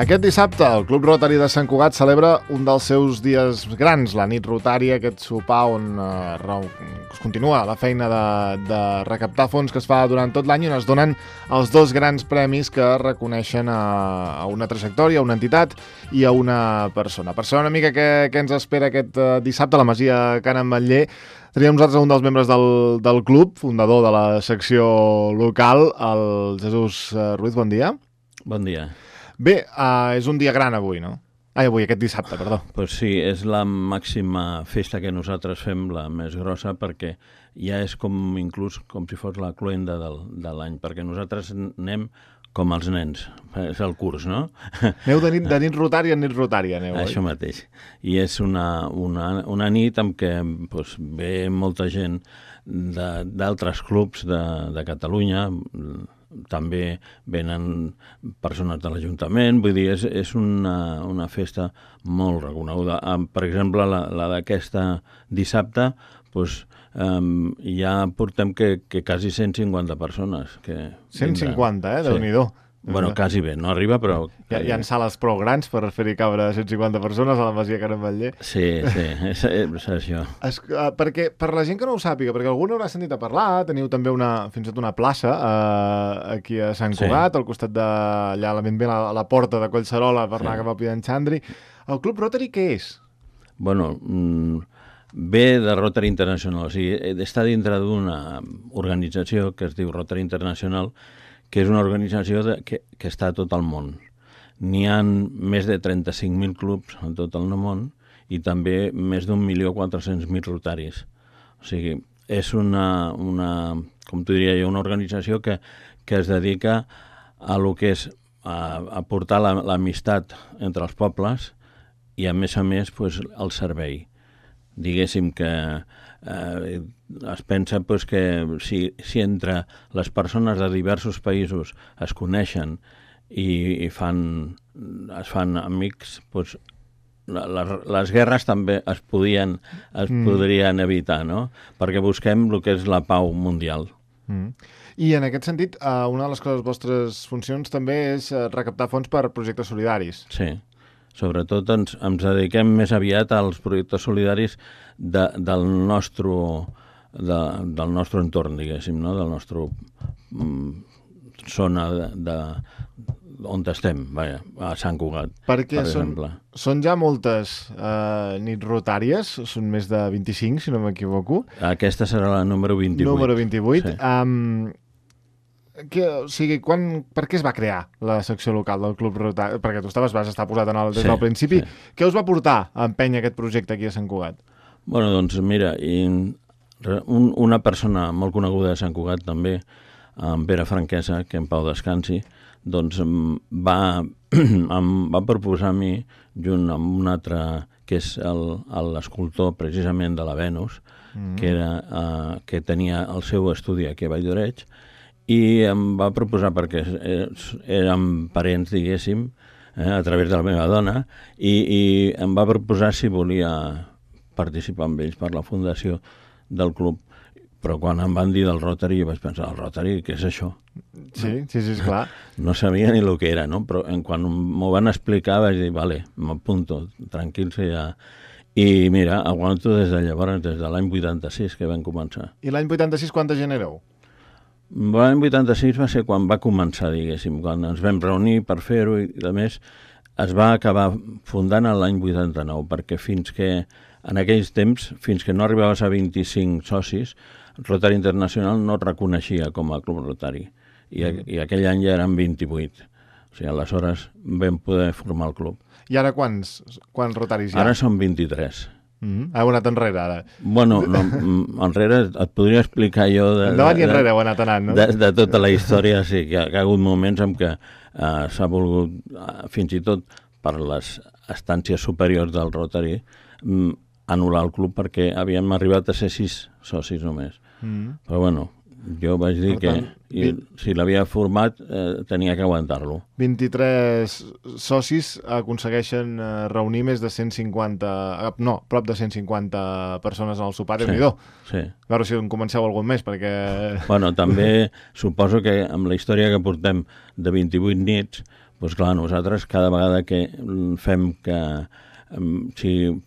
Aquest dissabte, el Club Rotary de Sant Cugat celebra un dels seus dies grans, la nit rotària, aquest sopar on es continua la feina de recaptar fons que es fa durant tot l'any i on es donen els dos grans premis que reconeixen a una trajectòria, a una entitat i a una persona. Per saber una mica què ens espera aquest dissabte a la Masia Can Ametller, teníem nosaltres un dels membres del club, fundador de la secció local, el Jesús Ruiz. Bon dia. Bon dia. Bé, és un dia gran avui, no? Avui, aquest dissabte, perdó. Pues sí, és la màxima festa que nosaltres fem, la més grossa, perquè ja és inclús com si fos la cloenda de l'any, perquè nosaltres anem com els nens, és el curs, no? Aneu de nit rotària a nit rotària, aneu, oi? Això mateix. I és una nit en què pues, ve molta gent d'altres clubs de Catalunya, també venen persones de l'Ajuntament, vull dir, és una festa molt reconeguda. Per exemple, la d'aquesta dissabte, doncs, ja portem que quasi 150 persones. 150, Déu-n'hi-do. Bueno, quasi bé, no arriba, però... Hi ha sales prou grans per fer-hi cabre 150 persones a la Masia Can Ametller. Sí, és això. Perquè, per la gent que no ho sàpiga, perquè algú n'haurà sentit a parlar, teniu també fins i tot una plaça aquí a Sant Cugat, al costat d'allà, ben bé a la porta de Collserola, per anar cap a Pidenchandri. El Club Rotary què és? Bueno, ve de Rotary International, o sigui, està dintre d'una organització que es diu Rotary International, que és una organització que està a tot el món. N'hi ha més de 35.000 clubs en tot el món i també més d'1.400.000 rotaris. O sigui, és com t'ho diria jo, una organització que es dedica a lo que és a portar l'amistat entre els pobles i, a més, pues, el servei. Diguéssim que es pensa pues, que si entre les persones de diversos països es coneixen i es fan amics, pues, les guerres també es podrien evitar, no? Perquè busquem el que és la pau mundial. I en aquest sentit, una de les vostres funcions també és recaptar fons per projectes solidaris. Sí. Sobretot ens dediquem més aviat als projectes solidaris del nostre entorn, diguéssim, no? Del nostre zona on estem, a Sant Cugat, perquè per exemple. Són ja moltes nits rotàries, són més de 25, si no m'equivoco. Aquesta serà la número 28. Número 28. Sí. O sigui, per què es va crear la secció local del Club Rotary? Perquè tu vas estar posat des del principi. Sí. Què us va portar a empènyer aquest projecte aquí a Sant Cugat? Bueno, doncs mira, una persona molt coneguda de Sant Cugat també, en Pere Franquesa, que en pau descansi, doncs va proposar a mi, junt amb un altre, que és l'escultor precisament de la Venus, que tenia el seu estudi aquí a Valldoreix, i em va proposar, perquè érem parents, diguéssim, a través de la meva dona, i em va proposar si volia participar amb ells per la fundació del club. Però quan em van dir del Rotary, jo vaig pensar, el Rotary, què és això? Sí, clar. No sabia ni el que era, no? Però quan m'ho van explicar vaig dir, vale, m'apunto, tranquil, ja... I mira, aguanto des de llavors, des de l'any 86 que vam començar. I l'any 86 quanta gent éreu? L'any 86 va ser quan va començar, diguéssim, quan ens vam reunir per fer-ho i, a més, es va acabar fundant l'any 89, perquè en aquells temps, fins que no arribaves a 25 socis, Rotary International no et reconeixia com a club Rotary, i aquell any ja eren 28. O sigui, aleshores vam poder formar el club. I ara quants rotaris hi ha? Ara són 23. Heu anat enrere, ara? Bueno, enrere et podria explicar jo... Endavant i enrere heu anat anant, no? De tota la història, sí, que hi ha hagut moments en què s'ha volgut, fins i tot per les estàncies superiors del Rotary, anul·lar el club perquè havíem arribat a ser 6 socis només. Però bueno, Jo vaig dir que si l'havia format tenia que aguantar-lo. 23 socis aconsegueixen reunir més de 150... No, prop de 150 persones en el sopar, Déu-n'hi-do. Sí. A veure si en comenceu algun més, perquè... Bueno, també suposo que amb la història que portem de 28 nits, doncs clar, nosaltres cada vegada que fem que...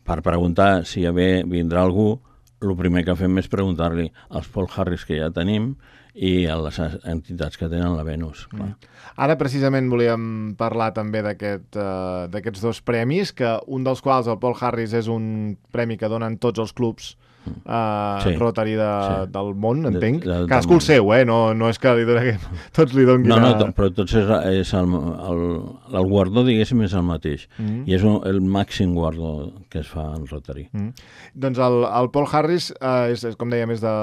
per preguntar si vindrà algú, el primer que fem és preguntar-li als Paul Harris que ja tenim i a les entitats que tenen la Venus. Clar. Ara precisament volíem parlar també d'aquests dos premis, que un dels quals, el Paul Harris, és un premi que donen tots els clubs Rotary del món, entenc. Cadascú el seu, no és que tots li donguin... No, però tots és el guardó, diguéssim, és el mateix. I és el màxim guardó que es fa en Rotary. Doncs el Paul Harris, és com dèiem, és de...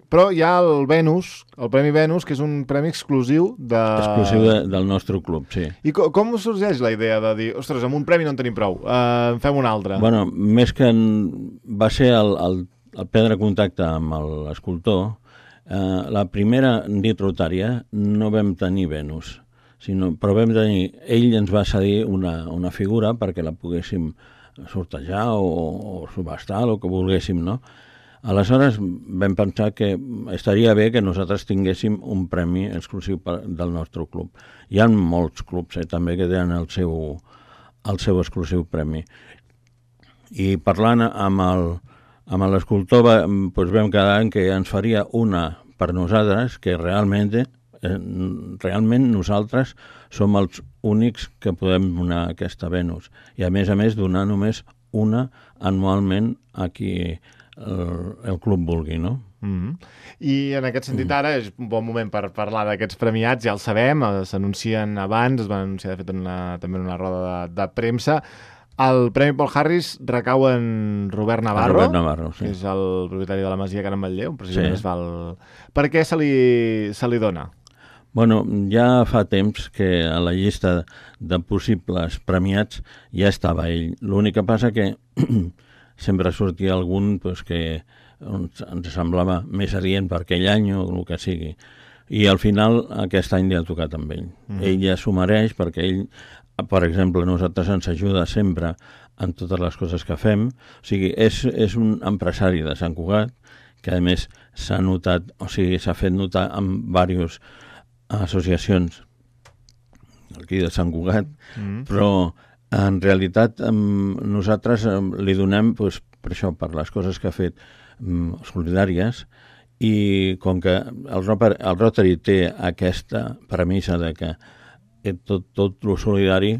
Però hi ha el Venus, el Premi Venus, que és un premi exclusiu del nostre club, sí. I com us sorgeix la idea de dir, ostres, amb un premi no en tenim prou, en fem un altre? Bueno, més que va ser el prendre contacte amb l'escultor, la primera nit rotària no vam tenir Venus, però vam tenir... Ell ens va cedir una figura perquè la poguéssim sortejar o subhastar, el que volguéssim, no? Aleshores vam pensar que estaria bé que nosaltres tinguéssim un premi exclusiu del nostre club. Hi ha molts clubs també que tenen el seu exclusiu premi. I parlant amb l'escultor vam quedar en que ens faria una per nosaltres, que realment nosaltres som els únics que podem donar aquesta Venus. I a més donar només una anualment a qui el club vulgui, no? I en aquest sentit ara és un bon moment per parlar d'aquests premiats, ja el sabem, s'anuncien abans, es van anunciar de fet també en una roda de premsa. El Premi Paul Harris recau en Robert Navarro, sí. Que és el propietari de la Masia Can Manlleu, precisament es fa el... Per què se li dona? Bueno, ja fa temps que a la llista de possibles premiats ja estava ell. L'únic que passa que sempre sortia algun que ens semblava més adient per aquell any o el que sigui. I al final aquest any li ha tocat amb ell. Ell ja s'ho mereix perquè ell, per exemple, nosaltres ens ajuda sempre en totes les coses que fem. O sigui, és un empresari de Sant Cugat que a més s'ha notat, o sigui, s'ha fet notar amb diverses associacions aquí de Sant Cugat, però en realitat nosaltres li donem per això, per les coses que ha fet solidàries, i com que el Rotary té aquesta premissa de que tot el solidari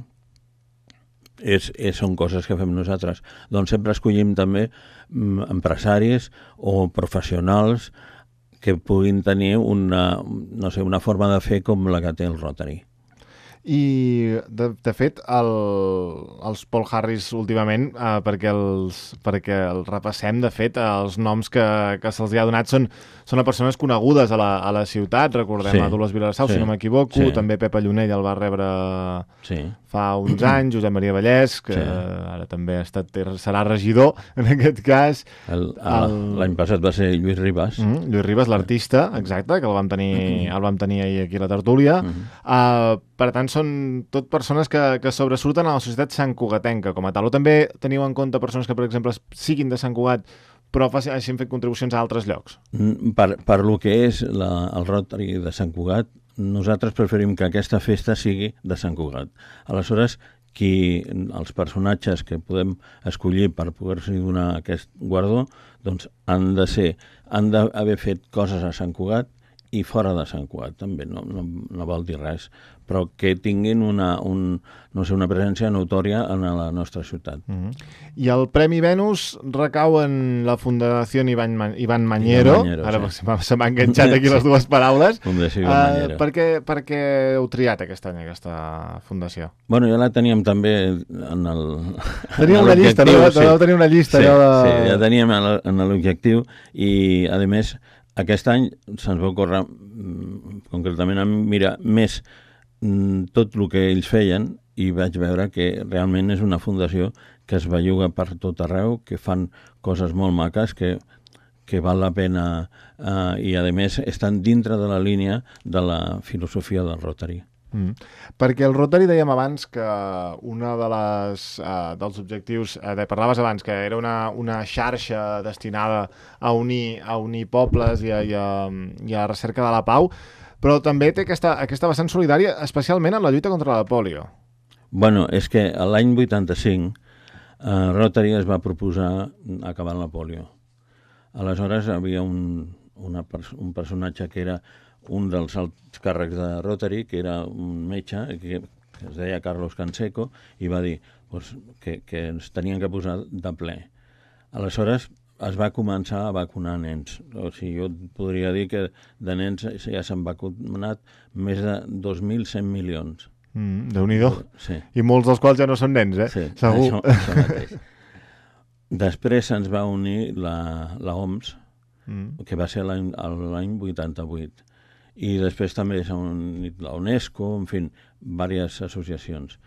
són coses que fem nosaltres, doncs sempre escollim també empresaris o professionals que puguin tenir una forma de fer com la que té el Rotary. I, de fet, els Paul Harris últimament, perquè el repassem, de fet, els noms que se'ls ha donat són a persones conegudes a la ciutat. Recordem a Dolors Vilassau, si no m'equivoco, també Pepa Llunell el va rebre fa uns anys, Josep Maria Vallès, que ara també serà regidor, en aquest cas. L'any passat va ser Lluís Ribas. Lluís Ribas, l'artista, exacte, que el vam tenir ahir aquí a la tertúlia. Per tant, són tot persones que sobresurten a la societat santcugatenca com a tal. O també teniu en compte persones que, per exemple, siguin de Sant Cugat però hagin fet contribucions a altres llocs? Per lo que és el Rotary de Sant Cugat, nosaltres preferim que aquesta festa sigui de Sant Cugat. Aleshores, els personatges que podem escollir per poder-se donar aquest guardó, doncs han d'haver fet coses a Sant Cugat i fora de Sant Cugat, també, no vol dir res, però que tinguin una presència notòria en la nostra ciutat. I el Premi Venus recau en la Fundació Iván Mañero. Ara se m'ha enganxat aquí les dues paraules. Per què heu triat aquest any aquesta fundació? Bueno, ja la teníem també en el... Teníem una llista, no? Vau tenir una llista. Sí, ja teníem en l'objectiu i, a més, aquest any se'ns va ocórrer concretament a mirar més tot el que ells feien i vaig veure que realment és una fundació que es belluga per tot arreu, que fan coses molt maques, que que val la pena i, a més, estan dintre de la línia de la filosofia del Rotary. Perquè el Rotary dèiem abans que una de dels objectius, parlaves abans que era una xarxa destinada a unir pobles i a recerca de la pau, però també té aquesta vessant solidària, especialment en la lluita contra la pòlio. Bueno, és que l'any 85 Rotary es va proposar acabar la pòlio. Aleshores hi havia un personatge que era un dels alts càrrecs de Rotary, que era un metge, que es deia Carlos Canseco, i va dir que ens tenien que posar de ple. Aleshores es va començar a vacunar nens. O sigui, jo podria dir que de nens ja s'han vacunat més de 2.100 milions. Déu-n'hi-do. Sí. I molts dels quals ja no són nens, Sí, segur. Això mateix. Després se'ns va unir la OMS, que va ser l'any 88. I després també s'ha unit la UNESCO, en fi, diverses associacions.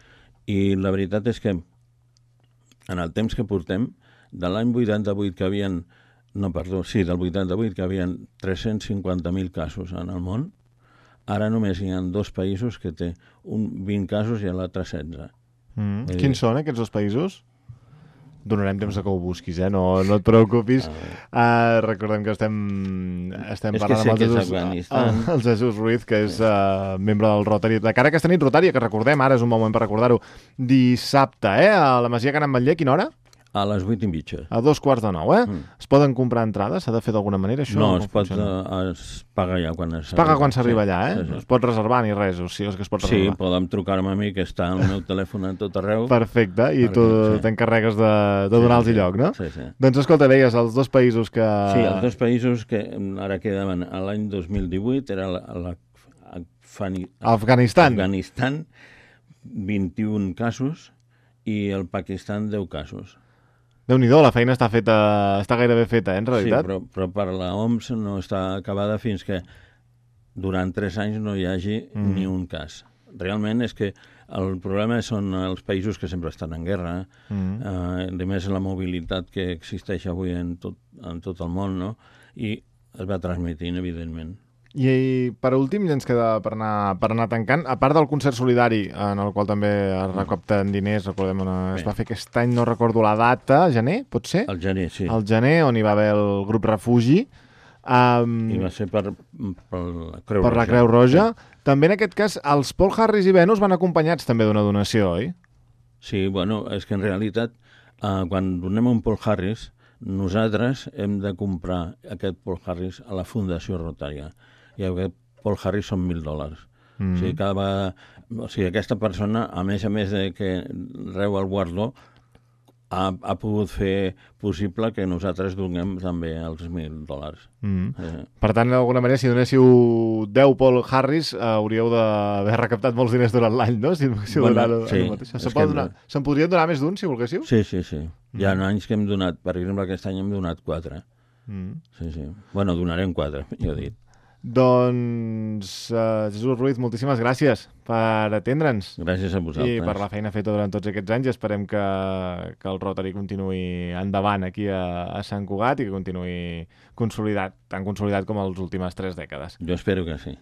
I la veritat és que en el temps que portem, de l'any 88 que havien... No, perdó, sí, del 88 que havien 350.000 casos en el món, ara només hi ha 2 països que té 20 casos i l'altre 16. Quins són aquests 2 països? Donarem temps que ho busquis, no et preocupis. Recordem que estem parlant amb el Jesús Ruiz, que és membre del Rotary. De cara a aquesta nit rotària, que recordem, ara és un moment per recordar-ho, dissabte, a la Masia Can Ametller, quina hora? A les 8:30. A 8:45, Es poden comprar entrades? S'ha de fer d'alguna manera, això? No, es paga ja quan s'arriba. Es paga quan s'arriba allà, Sí. Es pot reservar ni res, o sigui, és que es pot reservar. Sí, podem trucar-me a mi, que està al meu telèfon a tot arreu. Perfecte, i tu t'encarregues de donar-los lloc, no? Sí. Doncs escolta, deies, els 2 països que... Sí, els 2 països que ara quedaven l'any 2018 era Afganistan, 21 casos, i el Pakistan 10 casos. Déu-n'hi-do, la feina està gairebé feta, en realitat? Sí, però per la OMS no està acabada fins que durant 3 anys no hi hagi ni un cas. Realment és que el problema són els països que sempre estan en guerra, a més la mobilitat que existeix avui en tot el món, no? I es va transmitint, evidentment. I per últim, ja ens queda per anar tancant, a part del concert solidari, en el qual també es recapten diners, recordem on es va fer aquest any, no recordo la data, gener, pot ser? El gener, sí. El gener, on hi va haver el grup Refugi. I va ser per la Creu Roja. Per la Creu Roja. Sí. També en aquest cas, els Paul Harris i Venus van acompanyats també d'una donació, oi? Sí, bueno, és que en realitat, quan donem un Paul Harris, nosaltres hem de comprar aquest Paul Harris a la Fundació Rotària. I aquest Paul Harris són $1.000. O sigui, aquesta persona, a més de que reu el guardó, ha pogut fer possible que nosaltres donem també els $1.000. Per tant, d'alguna manera, si donéssiu 10 Paul Harris, hauríeu d'haver recaptat molts diners durant l'any, no? Se'n podrien donar més d'un, si volguéssiu? Sí. Hi ha anys que hem donat, per exemple, aquest any hem donat 4. Sí. Bueno, donarem 4, jo he dit. Doncs, Jesús Ruiz, moltíssimes gràcies per atendre'ns. Gràcies a vosaltres. I per la feina feta durant tots aquests anys. Esperem que el Rotary continuï endavant aquí a Sant Cugat i que continuï consolidat, tan consolidat com les últimes 3 dècades. Jo espero que sí.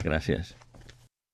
Gràcies.